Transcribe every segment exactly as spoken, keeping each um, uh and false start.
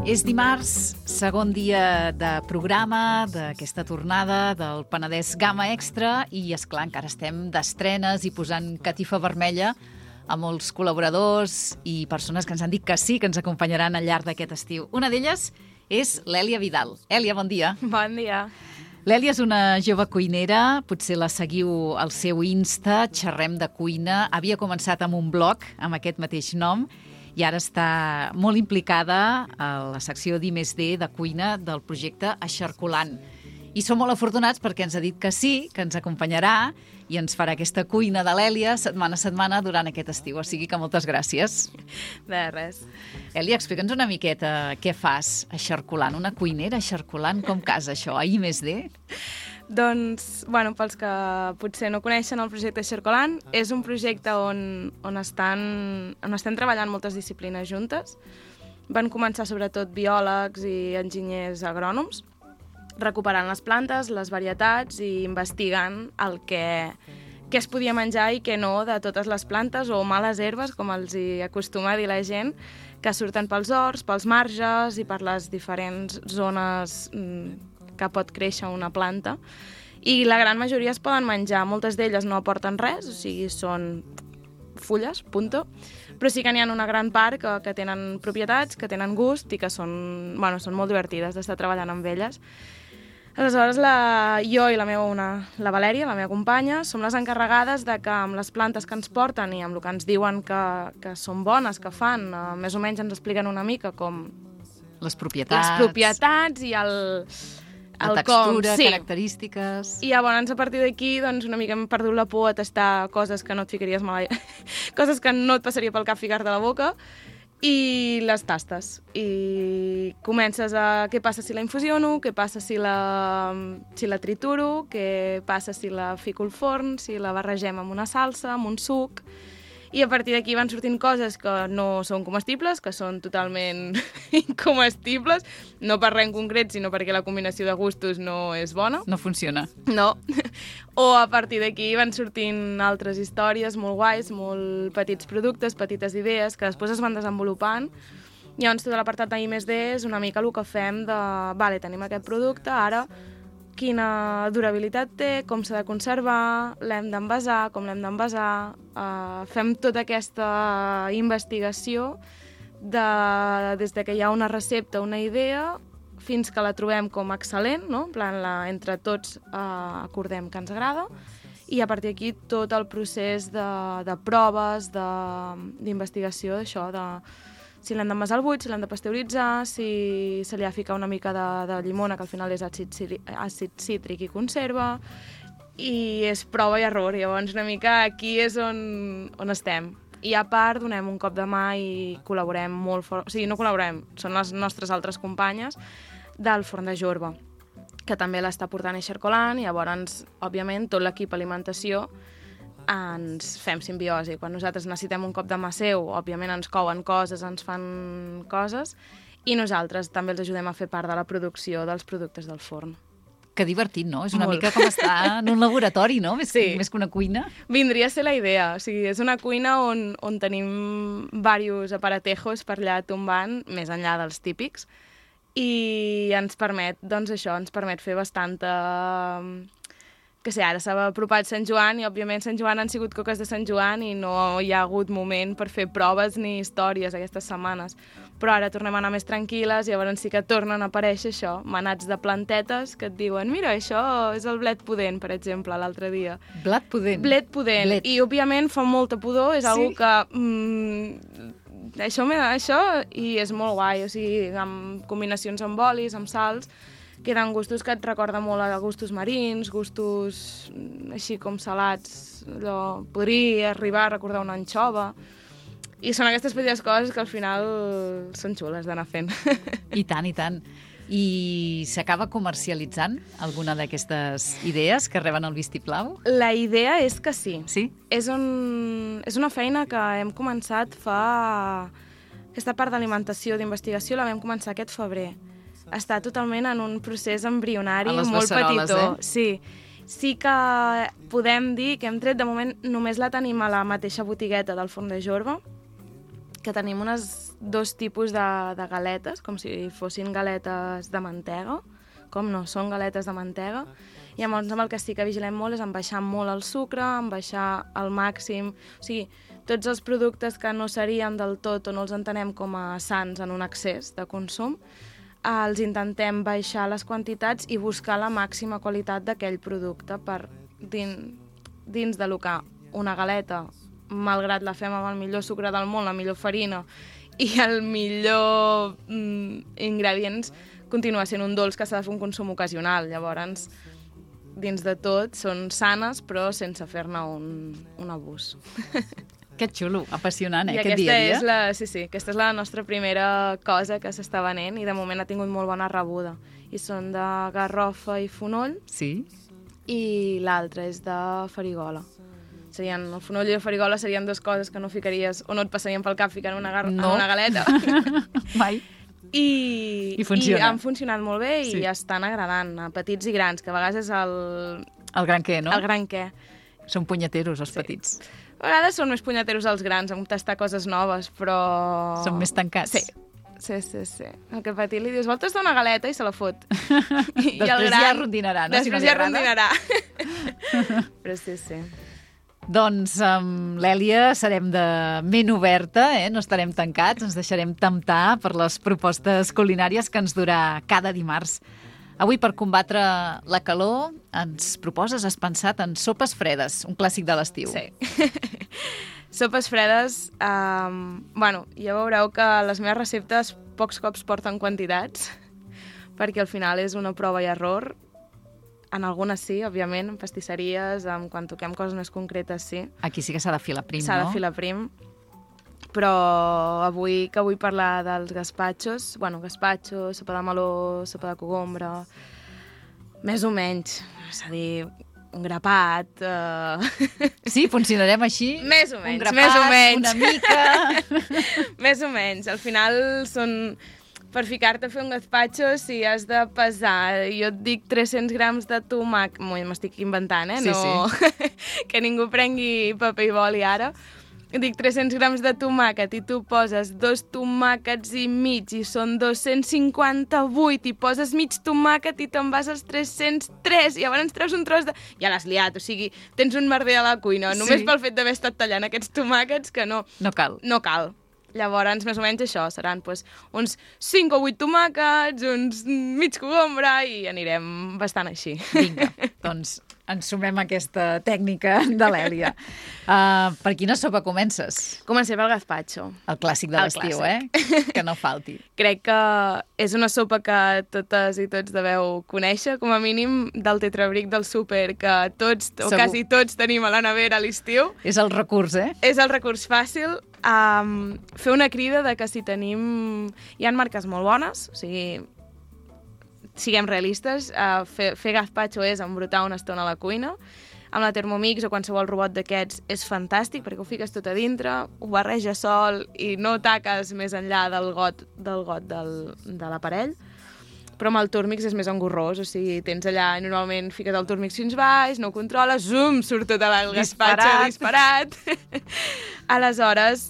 És dimarts, segon dia de programa d'aquesta tornada del Penedès Gamma Extra i, esclar, encara estem d'estrenes i posant catifa vermella a molts col·laboradors i persones que ens han dit que sí, que ens acompanyaran al llarg d'aquest estiu. Una d'elles és l'Èlia Vidal. Èlia, bon dia. Bon dia. L'Èlia és una jove cuinera, potser la seguiu al seu Insta, Xerrem de Cuina. Havia començat amb un blog amb aquest mateix nom i ara està molt implicada a la secció d'I més D de cuina del projecte Eixarcolant. I som molt afortunats perquè ens ha dit que sí, que ens acompanyarà i ens farà aquesta cuina de l'Èlia setmana a setmana durant aquest estiu. O sigui que moltes gràcies. De res. Èlia, explica'ns una miqueta què fas eixarcolant. Una cuinera eixarcolant, com casa això, a I més D? Doncs, bueno, pels que potser no coneixen el projecte Eixarcolant, és un projecte on, on, estan, on estem treballant moltes disciplines juntes. Van començar sobretot biòlegs i enginyers agrònoms, recuperant les plantes, les varietats i investigant el que, què es podia menjar i què no de totes les plantes o males herbes, com els hi acostuma a dir la gent, que surten pels horts, pels marges i per les diferents zones que pot créixer una planta. I la gran majoria es poden menjar. Moltes d'elles no aporten res, o sigui, són fulles, punto. Però sí que n'hi ha una gran part que, que tenen propietats, que tenen gust i que són, bueno, són molt divertides d'estar treballant amb elles. Aleshores, la, jo i la meva una, la Valèria, la meva companya, som les encarregades de que amb les plantes que ens porten i amb el que ens diuen que, que són bones, que fan, eh, més o menys ens expliquen una mica com... Les propietats. Les propietats i el... La el textura, com, sí. Característiques... I llavors, a partir d'aquí, doncs, una mica hem perdut la por a tastar coses que no et ficaries mai... coses que no et passaria pel cap ficar-te a la boca, i les tastes. I comences a què passa si la infusiono, què passa si la, si la trituro, què passa si la fico al forn, si la barregem amb una salsa, amb un suc... I a partir d'aquí van sortint coses que no són comestibles, que són totalment incomestibles, no per res en concret, sinó perquè la combinació de gustos no és bona. No funciona. No. O a partir d'aquí van sortint altres històries molt guais, molt petits productes, petites idees, que després es van desenvolupant. Llavors, tot l'apartat d'I més D és una mica el que fem de... Vale, tenim aquest producte, ara... quina durabilitat té, com s'ha de conservar, l'hem d'envasar, com l'hem d'envasar. Uh, fem tota aquesta investigació de, des de que hi ha una recepta, una idea, fins que la trobem com excel·lent, no? En plan, la, entre tots uh, acordem que ens agrada, i a partir d'aquí tot el procés de, de proves, d'investigació, d'això, de si l'hem d'envasar al buit, si l'hem de pasteuritzar, si se li ha de ficar una mica de, de llimona, que al final és àcid, àcid cítric i conserva, i és prova i error. Llavors, una mica aquí és on, on estem. I a part, donem un cop de mà i col·laborem molt fort. O sigui, no col·laborem, són les nostres altres companyes del Forn de Jorba, que també l'està portant Eixarcolant, i llavors, òbviament, tot l'equip alimentació ens fem simbiosi. Quan nosaltres necessitem un cop de mà seu, òbviament ens couen coses, ens fan coses, i nosaltres també els ajudem a fer part de la producció dels productes del forn. Que divertit, no? És una Molt. mica com estar en un laboratori, no? Més, Sí. més que una cuina. Vindria a ser la idea. O sigui, és una cuina on, on tenim diversos aparatejos per allà tombant, més enllà dels típics, i ens permet, doncs això, ens permet fer bastanta... que sé, ara s'ha apropat Sant Joan i, òbviament, Sant Joan han sigut coques de Sant Joan i no hi ha hagut moment per fer proves ni històries aquestes setmanes. Però ara tornem a anar més tranquil·les i llavors sí que tornen a aparèixer això, manats de plantetes que et diuen mira, això és el blet pudent, per exemple, l'altre dia. Blat pudent. Blet pudent. Blet. I, òbviament, fa molta pudor, és Sí. algo que... Mm, això, això, i és molt guai, o sigui, amb combinacions amb olis, amb sals, queden gustos que et recorden molt a gustos marins, gustos així com salats, allò, podria arribar a recordar una anxova. I són aquestes petites coses que al final són xules d'anar fent. I tant, i tant. I s'acaba comercialitzant alguna d'aquestes idees que reben el vistiplau? La idea és que sí. Sí? És, un, és una feina que hem començat fa... Aquesta part d'alimentació, d'investigació, la vam començar aquest febrer. Està totalment en un procés embrionari molt petitó. Eh? Sí. Sí que podem dir que hem tret, de moment, només la tenim a la mateixa botigueta del Forn de Jorba, que tenim unes dos tipus de, de galetes, com si fossin galetes de mantega, com no, són galetes de mantega. I llavors amb el que sí que vigilem molt és en baixar molt el sucre, en baixar al màxim... O sigui, tots els productes que no serien del tot o no els entenem com a sants en un excés de consum, els intentem baixar les quantitats i buscar la màxima qualitat d'aquell producte per dins, dins de lo que una galeta, malgrat la fem amb el millor sucre del món, la millor farina i el millor mm, ingredients, continua sent un dolç que s'ha de fer un consum ocasional. Llavors, dins de tot, són sanes, però sense fer-ne un, un abús. Que xulo, apassionant, eh, I aquest dia a dia. És la, sí, sí, aquesta és la nostra primera cosa que s'està venent i de moment ha tingut molt bona rebuda. I són de garrofa i fonoll. Sí. I l'altra és de farigola. Serien, el fonoll i la farigola serien dues coses que no ficaries o no et passarien pel cap ficar en una, gar no. en una galeta. Mai. I, I funciona. I han funcionat molt bé i sí. estan agradant a petits i grans, que a vegades és el... El gran què, no? El gran què. Són punyeteros, els sí. petits. A vegades són més punyeteros els grans, en tastar coses noves, però... Són més tancats. Sí. Sí, sí, sí. El que petit li dius, vol tastar una galeta i se la fot. I després el gran... ja rondinarà, no? Després si no ja rondinarà. Però sí, sí. Doncs amb l'Èlia serem de ment oberta, eh? No estarem tancats, ens deixarem temptar per les propostes culinàries que ens durà cada dimarts. Avui, per combatre la calor, ens proposes, has pensat en sopes fredes, un clàssic de l'estiu. Sí. Sopes fredes, um, bueno, ja veureu que les meves receptes pocs cops porten quantitats, perquè al final és una prova i error. En algunes sí, òbviament, en pastisseries, en quan toquem coses més concretes, sí. Aquí sí que s'ha de filar prim, s'ha no? S'ha de filar prim. Però avui que vull parlar dels gaspatxos, bueno, gaspatxo, sopa de meló, sopa de cogombre, més o menys, és a dir, un grapat... Uh... Sí, funcionarem així? Més o menys, un grapat, més o menys. Una mica... Més o menys. Al final són... Per ficar-te a fer un gazpacho, si has de pesar, jo et dic tres-cents grams de tomàquet, m'estic inventant, eh? Sí, no... sí. Que ningú prengui paper i boli ara. Dic tres-cents grams de tomàquet i tu poses dos tomàquets i mig i són dos-cents cinquanta-vuit i poses mig tomàquet i te'n vas als tres-cents tres i llavors treus un tros de... Ja l'has liat, o sigui, tens un merder a la cuina, només sí. pel fet d'haver estat tallant aquests tomàquets que no... No cal. No cal. Llavors, més o menys això, seran pues, uns cinc o vuit tomàquets, uns mig cogombre i anirem bastant així. Vinga, doncs ens sumem a aquesta tècnica de l'Èlia. Uh, per quina sopa comences? Comencem pel gazpacho. El clàssic de l'estiu, eh? Que no falti. Crec que és una sopa que totes i tots deveu conèixer, com a mínim del tetrabric del súper, que tots, o Segur. quasi tots, tenim a la nevera a l'estiu. És el recurs, eh? És el recurs fàcil. Um, fer una crida de que si tenim... Hi ha marques molt bones, o sigui, siguem realistes, uh, fer, fer gazpacho és embrutar una estona a la cuina, amb la Thermomix o qualsevol robot d'aquests és fantàstic perquè ho fiques tot a dintre, ho barreges sol i no taques més enllà del got del, got del, de l'aparell. Però amb el Turmix és més engorrós, o sigui, tens allà, normalment fiques el Turmix fins baix, no ho controles, zoom, surt tot el gazpacho disparat. Aleshores,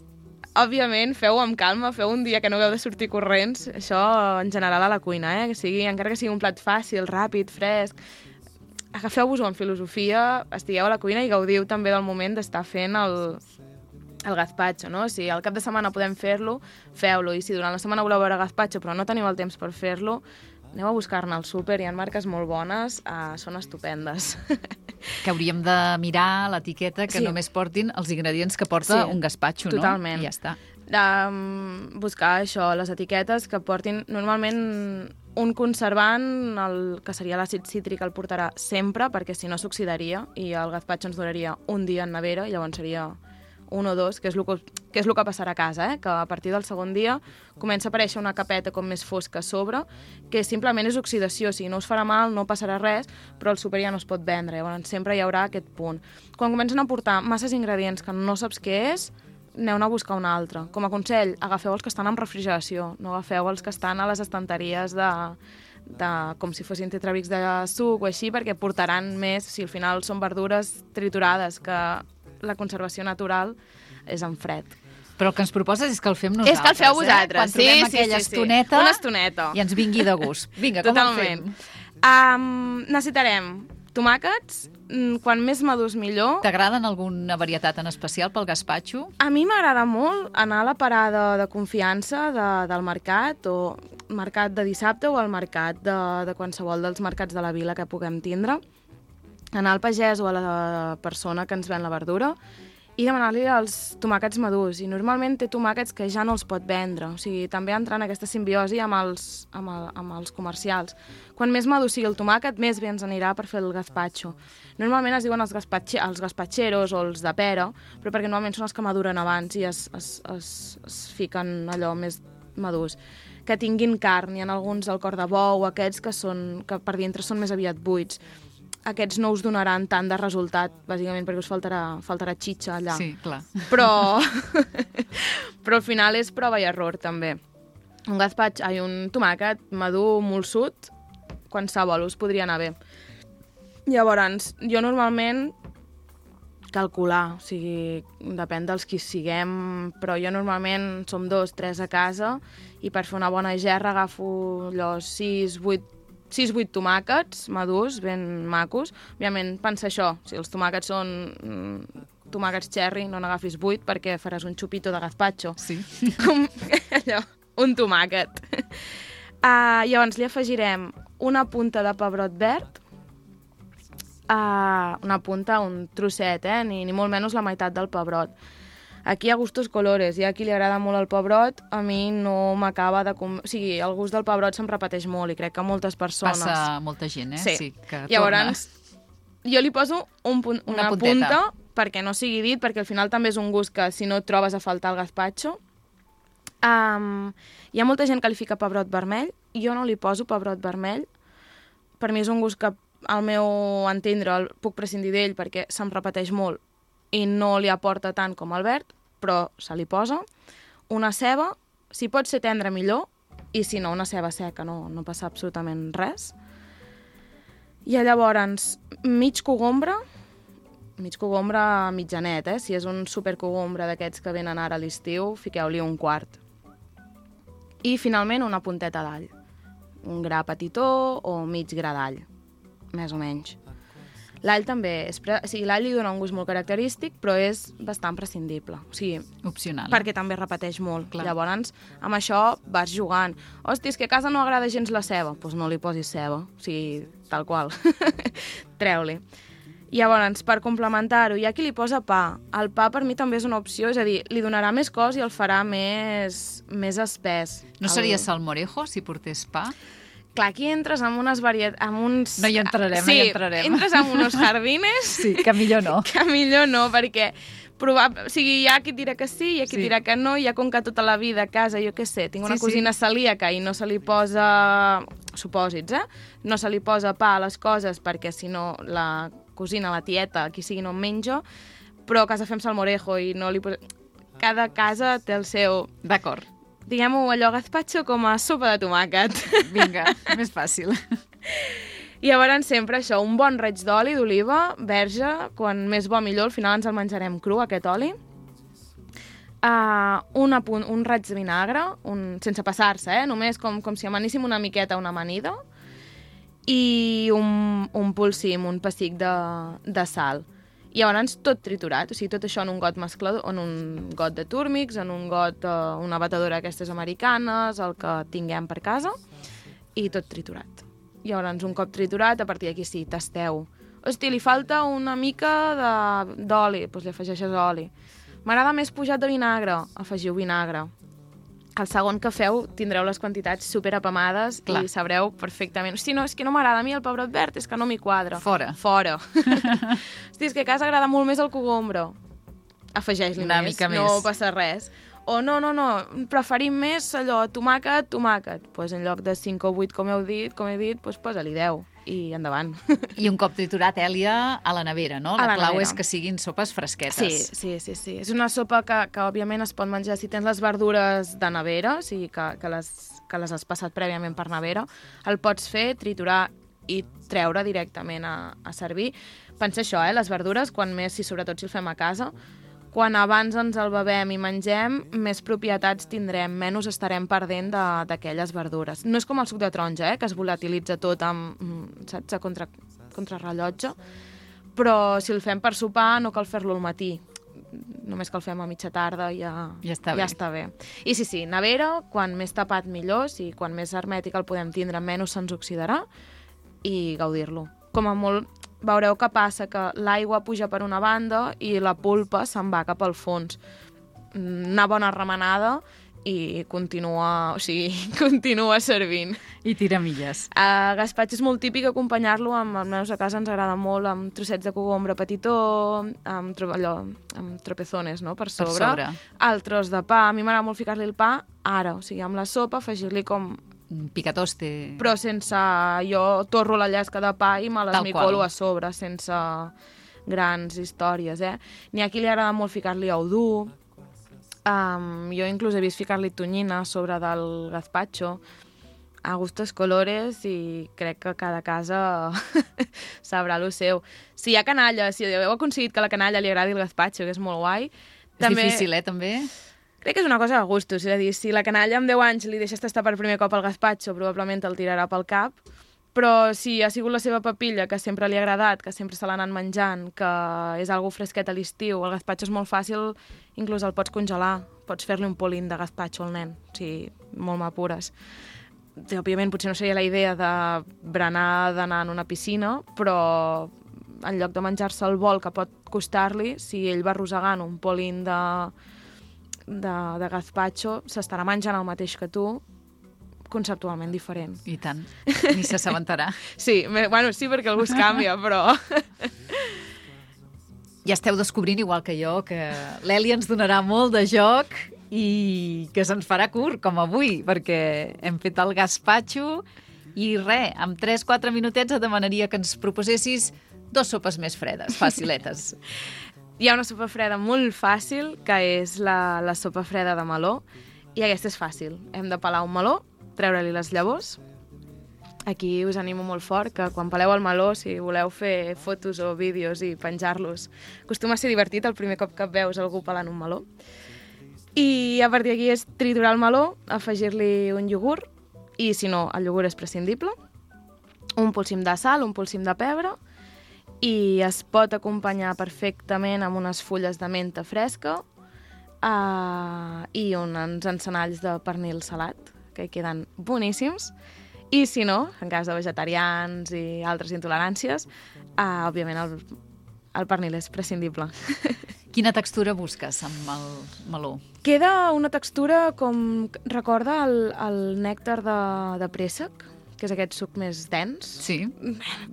òbviament, feu amb calma, feu un dia que no heu de sortir corrents, això en general a la cuina, eh? Que sigui, encara que sigui un plat fàcil, ràpid, fresc, agafeu-vos-ho amb filosofia, estigueu a la cuina i gaudiu també del moment d'estar fent el, el gazpacho, no? Si al cap de setmana podem fer-lo, feu-lo, i si durant la setmana voleu veure gazpacho però no teniu el temps per fer-lo, aneu a buscar-ne al súper, hi ha marques molt bones, uh, són estupendes. Que hauríem de mirar l'etiqueta que sí. només portin els ingredients que porta sí, un gazpacho, no? Totalment. I ja està. Um, buscar això, les etiquetes que portin normalment un conservant, el que seria l'àcid cítric el portarà sempre, perquè si no s'oxidaria i el gazpacho ens duraria un dia en nevera i llavors seria un o dos, que és el que, que, és el que passarà a casa, eh? Que a partir del segon dia comença a aparèixer una capeta com més fosca a sobre, que simplement és oxidació, o sigui, no us farà mal, no passarà res, però el súper ja no es pot vendre, llavors sempre hi haurà aquest punt. Quan comencen a portar masses ingredients que no saps què és, aneu-ne a buscar un altre. Com a consell, agafeu els que estan en refrigeració, no agafeu els que estan a les estanteries de, de, com si fossin tetrabrics de suc o així, perquè portaran més, si al final són verdures triturades, que la conservació natural és en fred. Però el que ens proposes és que el fem nosaltres, És que el feu vosaltres, eh? Quan sí, trobem sí, aquella sí, sí. estoneta, Una estoneta. i ens vingui de gust. Vinga, com Totalment. el fem? Um, necessitarem tomàquets, mm, quan més madurs millor. T'agraden alguna varietat en especial pel gaspatxo? A mi m'agrada molt anar a la parada de confiança de, del mercat, o mercat de dissabte o al mercat de, de qualsevol dels mercats de la vila que puguem tindre, anar al pagès o a la persona que ens ven la verdura i demanar-li els tomàquets madurs. I normalment té tomàquets que ja no els pot vendre. O sigui, també entra en aquesta simbiosi amb els, amb, el, amb els comercials. Quan més madur sigui el tomàquet, més bé ens anirà per fer el gazpacho. Normalment es diuen els, gaspatxe, els gazpacheros o els de pera, però perquè normalment són els que maduren abans i es, es, es, es fiquen allò més madurs. Que tinguin carn, hi ha alguns del cor de bou, aquests que, són, que per dintre són més aviat buits. Aquests no us donaran tant de resultat, bàsicament perquè us faltarà, faltarà xitxa allà. Sí, clar. Però, però al final és prova i error, també. Un gazpacho, ai, un tomàquet madur, molsut, qualsevol us podria anar bé. Llavors, jo normalment calcular, o sigui, depèn dels qui siguem, però jo normalment som dos, tres a casa, i per fer una bona gerra agafo allò sis, vuit sis vuit tomàquets madurs, ben macos. Òbviament, pensa això, si els tomàquets són mm, tomàquets cherry, no n'agafis vuit perquè faràs un xupito de gazpacho. Sí. Com allò, un tomàquet. Uh, llavors li afegirem una punta de pebrot verd, uh, una punta, un trosset, eh? ni, ni molt menys la meitat del pebrot. Aquí hi ha gustos colores, hi ha qui li agrada molt el pebrot, a mi no m'acaba de... Com... O sigui, el gust del pebrot se'm repeteix molt i crec que moltes persones... Passa molta gent, eh? Sí, sí que llavors jo li poso un punt, una, una punta perquè no sigui dit, perquè al final també és un gust que si no et trobes a faltar el gazpacho. Um, hi ha molta gent que li fica pebrot vermell, jo no li poso pebrot vermell, per mi és un gust que al meu entendre el puc prescindir d'ell perquè se'm repeteix molt i no li aporta tant com el verd, però se li posa. Una ceba, si pot ser tendra millor, i si no, una ceba seca, no, no passa absolutament res. I llavors, mig cogombre, mig cogombre mitjanet, eh? Si és un supercogombre d'aquests que venen ara a l'estiu, fiqueu-li un quart. I finalment una punteta d'all. Un gra petitó o mig gra d'all, més o menys. L'all també, és pre... o sigui, l'all li dona un gust molt característic, però és bastant prescindible. O sigui, opcional. Perquè també repeteix molt. Clar. Llavors, amb això vas jugant. Hosti, és que a casa no agrada gens la ceba. Doncs pues no li posis ceba. O sigui, tal qual. Treu-li. Llavors, per complementar-ho, hi ha qui li posa pa. El pa per mi també és una opció, és a dir, li donarà més cos i el farà més, més espès. No el... seria salmorejo si portés pa? Clar, aquí entres amb unes varietats... Amb uns... No hi entrarem, sí, no hi entrarem. Entres amb uns jardines... Sí, que millor no. Que millor no, perquè probab... o sigui, hi ha qui dirà que sí, hi ha qui sí. dirà que no, hi ha com que tota la vida a casa, jo què sé, tinc una sí, cosina sí. celíaca i no se li posa... supòsits, eh? No se li posa pa a les coses perquè si no la cosina, la tieta, qui sigui no en menja, però a casa fem salmorejo i no li posa... Cada casa té el seu... D'acord. Diguem-ho allò gazpacho com a sopa de tomàquet. Vinga, més fàcil. I llavors sempre això, un bon raig d'oli d'oliva, verge, quan més bo millor, al final ens el menjarem cru, aquest oli. Uh, una punt, un raig de vinagre, un, sense passar-se, eh? Només com, com si amaníssim una miqueta una amanida, i un, un polsim, un pessic de, de sal. I llavors tot triturat, o sigui, tot això en un got mesclador, en un got de túrmics, en un got, uh, una batedora d'aquestes americanes, el que tinguem per casa, i tot triturat. Llavors, un cop triturat, a partir d'aquí sí, tasteu. Hosti, li falta una mica d'oli, doncs li afegeixes oli. M'agrada més pujat de vinagre, afegiu vinagre. El segon que feu tindreu les quantitats superapamades i sabreu perfectament. Hosti, no, és que no m'agrada a mi el pebrot verd, és que no m'hi quadra. Fora. Fora. Hosti, és que a casa agrada molt més el cogombre. Afegeix-li més, mica no més. passa res. O no, no, no, preferim més allò, tomàquet, tomàquet. Doncs pues en lloc de cinc o vuit, com heu dit, com he dit, pues posa-li deu i endavant. I un cop triturat, Èlia, a la nevera, no? La, la clau nevera. és que siguin sopes fresquetes. Sí, sí, sí, sí. És una sopa que, que òbviament es pot menjar si tens les verdures de nevera, o sigui que, que, les, que les has passat prèviament per nevera. El pots fer, triturar i treure directament a, a servir. Pensa això, eh? Les verdures, quan més, si sobretot si el fem a casa, quan abans ens el bevem i mengem, més propietats tindrem, menys estarem perdent d'aquelles verdures. No és com el suc de taronja, eh, que es volatilitza tot amb, saps, a contra, contrarrellotge, però si el fem per sopar no cal fer-lo al matí. Només que el fem a mitja tarda i ja, ja, està, ja bé. està bé. I sí, sí, nevera, quan més tapat millor, si quan més hermètic el podem tindre, menys se'ns oxidarà, i gaudir-lo. Com a molt veureu que passa que l'aigua puja per una banda i la pulpa se'n va cap al fons. Una bona remenada i continua, o sigui, continua servint. I tira milles. A gaspatxo és molt típic acompanyar-lo amb, almenys a casa ens agrada molt, amb trossets de cogombre petitó, amb, tro allò, amb tropezones, no?, per sobre. Per sobre. El tros de pa. A mi m'agrada molt ficar-li el pa ara, o sigui, amb la sopa, afegir-li com picatoste. Però sense... Jo torro la llesca de pa i me l'esmicolo a sobre, sense grans històries, eh? N'hi ha qui li agrada molt ficar-li ou dur. Um, jo inclús he vist ficar-li tonyina a sobre del gazpacho. A gustos colores, i crec que cada casa sabrà lo seu. Si hi ha canalla, si heu aconseguit que a la canalla li agradi el gazpacho, que és molt guai... És també... difícil, eh, també? Crec que és una cosa de gustos, és a dir, si la canalla amb deu anys li deixes tastar per primer cop el gazpacho, probablement el tirarà pel cap, però si ha sigut la seva papilla, que sempre li ha agradat, que sempre se l'ha anat menjant, que és algo fresquet a l'estiu, el gazpacho és molt fàcil, inclús el pots congelar, pots fer-li un polín de gazpacho al nen, o sigui, molt m'apures. Òbviament, potser no seria la idea de berenar, d'anar en una piscina, però en lloc de menjar-se el bol que pot costar-li, si ell va arrossegant un polín de... de, de gazpacho, s'estarà menjant el mateix que tu, conceptualment diferent. I tant, ni s'assabentarà. Sí, bueno, sí, perquè el gust canvia, però... Ja esteu descobrint, igual que jo, que l'Eli ens donarà molt de joc i que se'ns farà curt, com avui, perquè hem fet el gazpacho i res, en tres quatre minutets et demanaria que ens proposessis dos sopes més fredes, faciletes. Hi ha una sopa freda molt fàcil, que és la, la sopa freda de meló, i aquesta és fàcil. Hem de pelar un meló, treure-li les llavors. Aquí us animo molt fort que quan peleu el meló, si voleu fer fotos o vídeos i penjar-los, acostuma a ser divertit el primer cop que veus algú pelant un meló. I a partir d'aquí és triturar el meló, afegir-li un iogurt, i si no, el iogurt és prescindible, un polsim de sal, un polsim de pebre, i es pot acompanyar perfectament amb unes fulles de menta fresca uh, i uns encenalls de pernil salat, que queden boníssims. I si no, en cas de vegetarians i altres intoleràncies, uh, òbviament el, el pernil és prescindible. Quina textura busques amb el meló? Queda una textura com... Recorda el, el nèctar de, de préssec, que és aquest suc més dens? Sí.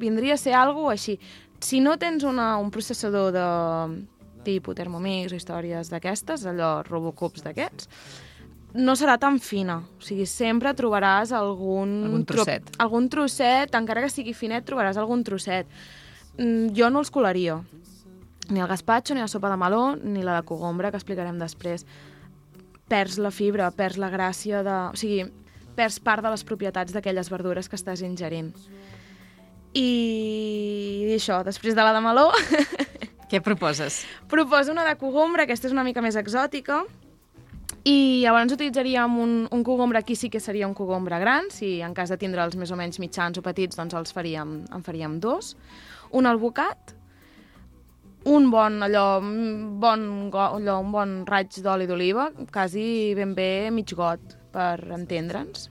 Vindria a ser alguna cosa així. Si no tens una, un processador de tipus Thermomix o històries d'aquestes, allò Robocups d'aquests, no serà tan fina. O sigui, sempre trobaràs algun... Algun trosset. Tro algun trosset, encara que sigui finet, trobaràs algun trosset. Mm, jo no els colaria. Ni el gazpacho, ni la sopa de meló, ni la de cogombre, que explicarem després. Perds la fibra, perds la gràcia de... O sigui, perds part de les propietats d'aquelles verdures que estàs ingerint. I això, després de la de meló... Què proposes? Proposo una de cogombre, aquesta és una mica més exòtica, i llavors utilitzaríem un, un cogombre, aquí sí que seria un cogombre gran, si en cas de tindre'ls més o menys mitjans o petits, doncs els faríem, en faríem dos. Un albocat, un bon, allò, bon, allò, un bon raig d'oli d'oliva, quasi ben bé mig got, per entendre'ns.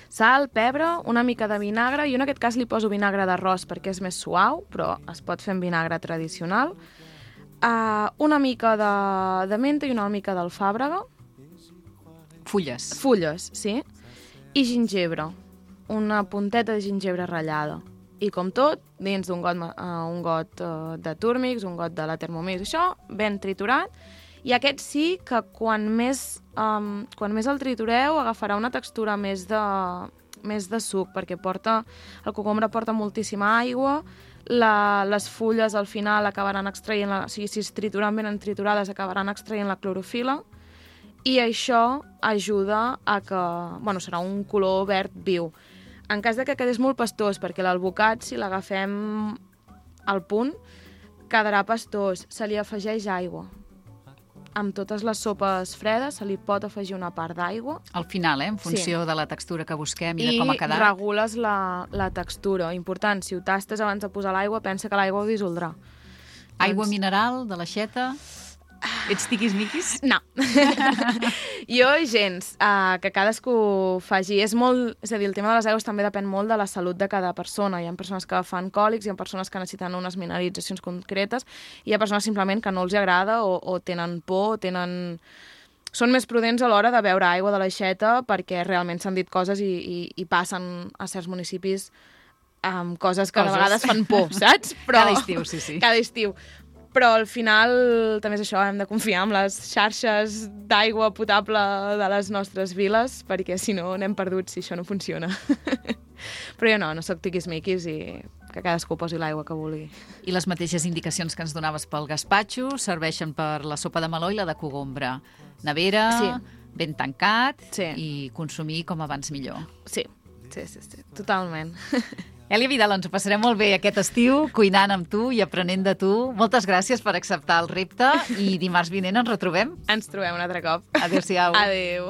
Sal, pebre, una mica de vinagre, i en aquest cas li poso vinagre d'arròs perquè és més suau, però es pot fer amb vinagre tradicional. Uh, una mica de, de menta i una mica d'alfàbrega. Fulles. Fulles, sí. I gingebre. Una punteta de gingebre ratllada. I com tot, dins d'un got, uh, un got uh, de Turmix, un got de la Thermomix, això, ben triturat. I aquest sí que quan més, um, quan més el tritureu agafarà una textura més de, més de suc, perquè porta, el cogombre porta moltíssima aigua, la, les fulles al final acabaran extraient, la, o sigui, si es trituren ben triturades acabaran extraient la clorofila, i això ajuda a que, bueno, serà un color verd viu. En cas de que quedés molt pastós, perquè l'albocat, si l'agafem al punt, quedarà pastós. Se li afegeix aigua. Amb totes les sopes fredes se li pot afegir una part d'aigua. Al final, eh? En funció Sí. de la textura que busquem i, I de com ha quedat. regules la, la textura. Important, si ho tastes abans de posar l'aigua, pensa que l'aigua ho dissoldrà. Aigua Doncs- mineral, de l'aixeta... Ets tiquis-miquis? No. Jo, gens. Uh, que cadascú faci. És molt... És a dir, el tema de les aigües també depèn molt de la salut de cada persona. Hi ha persones que fan còlics, hi ha persones que necessiten unes mineralitzacions concretes, i hi ha persones simplement que no els agrada o, o tenen por, o tenen... Són més prudents a l'hora de beure aigua de l'aixeta perquè realment s'han dit coses i, i, i passen a certs municipis amb coses que Coses. a vegades fan por, saps? Cada estiu, sí, sí. Cada estiu. Però al final també és això, hem de confiar en les xarxes d'aigua potable de les nostres viles, perquè si no anem perduts si això no funciona. Però jo no, no sóc tiquis-miquis i que cadascú posi l'aigua que vulgui. I les mateixes indicacions que ens donaves pel gaspatxo serveixen per la sopa de meló i la de cogombre. Nevera, Sí. ben tancat Sí. i consumir com abans millor. Sí, sí, sí, sí, totalment. Èlia Vidal, ens ho passarem molt bé aquest estiu, cuinant amb tu i aprenent de tu. Moltes gràcies per acceptar el repte i dimarts vinent ens retrobem. Ens trobem un altre cop. Adéu-siau. Adéu.